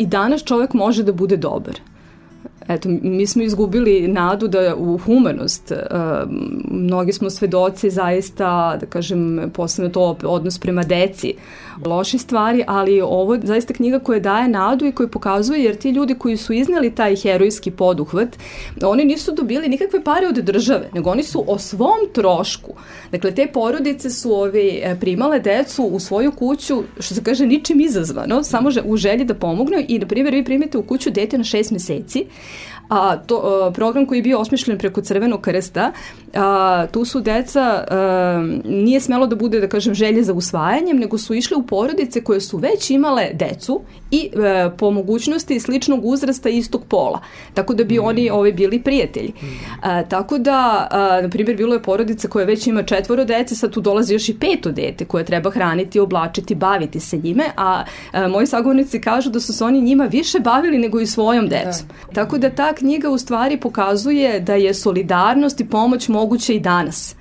i danas čovek može da bude dobar. Eto, mi smo izgubili nadu da u humanost, mnogi smo svedoci zaista, da kažem, posebno to odnos prema deci, loše stvari, ali ovo je zaista knjiga koja daje nadu i koja pokazuje, jer ti ljudi koji su izneli taj herojski poduhvat, oni nisu dobili nikakve pare od države, nego oni su o svom trošku. Dakle, te porodice su primale decu u svoju kuću, što se kaže, ničim izazvano, samo u želji da pomognu i, na primjer, vi primite u kuću dete na 6 meseci, a program koji je bio osmišljen preko Crvenog krsta, tu su deca, nije smelo da bude, da kažem, želje za usvajanjem, nego su išle u porodice koje su već imale decu i po mogućnosti sličnog uzrasta istog pola, tako da bi oni bili prijatelji. Tako da, na primjer, bilo je porodica koja već ima 4 dece, sad tu dolazi još i 5 dete koje treba hraniti, oblačiti, baviti se njime, a moji sagovornici kažu da su se oni njima više bavili nego i svojom decom. Tako da ta knjiga u stvari pokazuje da je solidarnost i pomoć moguće i danas.